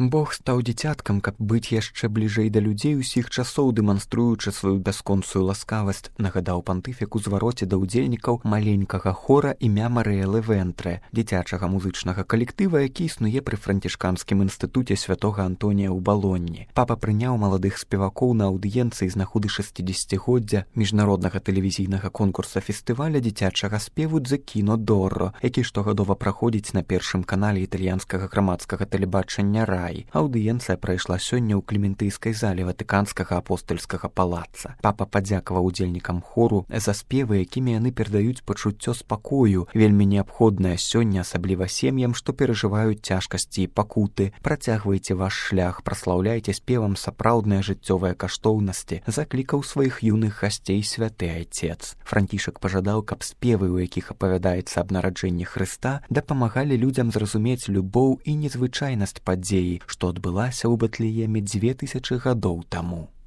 Бог стаў дзіцяткам, каб быць яшчэ бліжэй да людзей усіх часоў, дэманструючы сваю бясконцую ласкавасць, нагадаў пантыфік у звароце да ўдзельнікаў маленькага хора імя Марыэлы Вентрэ, дзіцячага музычнага калектыва, які існуе пры францішканскім інстытуце святога Антонія ў Балонні. Папа прыняў маладых спевакоў на аўдыенцыі з нагоды 60-годдзя міжнароднага тэлевізійнага конкурса фестываля дзіцячага спеву «The Kino d'Oro», які штогадова праходзіць на першым канале італьянскага грамадскага тэлебачання «Рай». Аўдыенцыя прайшла сёння ў клементыйскай зале Ватыканскага апостальскага палаца. Папа падзякаваў удзельнікам хору за спевы, якімі яны перадаюць пачуццё спакою, вельмі неабходнае сёння, асабліва сем'ям, што перажываюць цяжкасці і пакуты. Працягвайце ваш шлях, праслаўляйце спевам сапраўдныя жыццёвыя каштоўнасці, заклікаў сваіх юных гасцей святы айцец. Францішак пажадаў, каб спевы, у якіх апавядаецца аб нараджэнні Хрыста, дапамагалі людзям зразумець любоў і незвычайнасць падзеі, што адбылася ў Бэтлееме 2000 гадоў таму.